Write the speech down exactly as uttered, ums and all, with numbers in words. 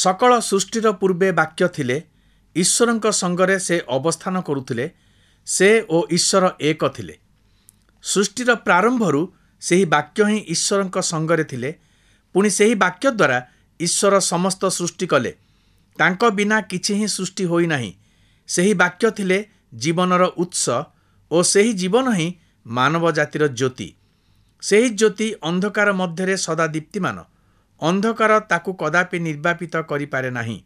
ସକଳ ସୃଷ୍ଟିର ପୂର୍ବେ ବାକ୍ୟ ଥିଲେ। ଈଶ୍ୱରଙ୍କ ସଙ୍ଗରେ ସେ ଅବସ୍ଥାନ କରୁଥିଲେ। ସେ ଓ ଈଶ୍ୱର ଏକ ଥିଲେ। ସୃଷ୍ଟିର ପ୍ରାରମ୍ଭରୁ ସେହି ବାକ୍ୟ ହିଁ ଈଶ୍ୱରଙ୍କ ସଙ୍ଗରେ ଥିଲେ। ପୁଣି ସେହି ବାକ୍ୟ ଦ୍ୱାରା ଈଶ୍ୱର ସମସ୍ତ ସୃଷ୍ଟି କଲେ। ତାଙ୍କ ବିନା କିଛି ହିଁ ସୃଷ୍ଟି ହୋଇନାହିଁ। ସେହି ବାକ୍ୟ ଥିଲେ ଜୀବନର ଉତ୍ସ ଓ ସେହି ଜୀବନ ହିଁ ମାନବ ଜାତିର ଜ୍ୟୋତି। ସେହି ଜ୍ୟୋତି ଅନ୍ଧକାର ମଧ୍ୟରେ ସଦା ଦୀପ୍ତିମାନ। ଅନ୍ଧକାର ତାକୁ କଦାପି ନିର୍ବାପିତ କରିପାରେ ନାହିଁ।